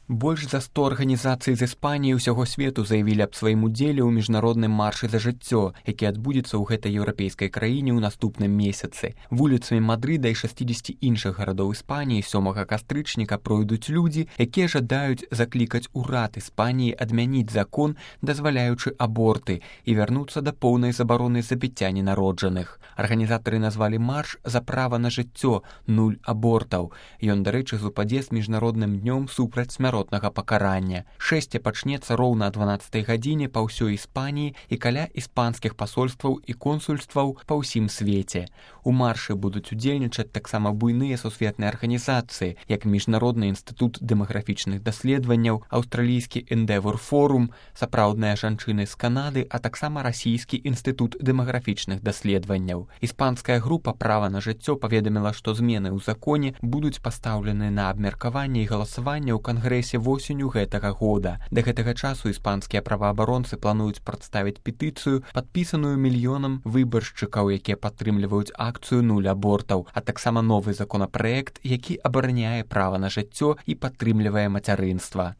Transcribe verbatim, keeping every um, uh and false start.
Больш за сто арганізацый з Іспаніі ўсяго свету заявілі аб сваім удзеле ў міжнародным маршы за жыццё, які адбудзецца ў гэтай еўрапейскай краіне ў наступным месяцы. Вуліцамі Мадрыда і шэсцідзесяці іншых гарадоў Іспаніі сёмага кастрычніка пройдуць людзі, якія жадаюць заклікаць урад Іспаніі адмяніць закон, дазваляючы аборты, і вярнуцца да поўнай забароны забіцця ненароджаных. Арганізатары назвалі марш за права на жыццё, нуль абортаў. Ён, дарэчы, супадзе з міжнародным днём супраць смяротнага пакарання. Шэсце пачнецца роўна о дванаццатай гадзіне па ўсёй Іспаніі і каля іспанскіх пасольстваў і консульстваў па ўсім свеце. У маршы будуць удзельнічаць таксама буйныя сусветныя арганізацыі, як Міжнародны інстытут дэмаграфічных даследаванняў, аўстралійскі Endeavour Forum, сапраўдныя жанчыны з Канады, а таксама расійскі інстытут дэмаграфічных даследаванняў. Іспанская група «Права на жыццё» паведаміла, што змены ў законе будуць пастаўлены на абмеркаванне і галасаванне ў Кангрэсе восенню гэтага года. Да гэтага часу іспанскія праваабаронцы плануюць прадставіць петыцыю, падпісаную мільёнам выбаршчыкаў, якія падтрымліваюць акцыю нуль абортаў, а таксама новы законапраект, які абараняе права на жыццё і падтрымлівае мацярынства.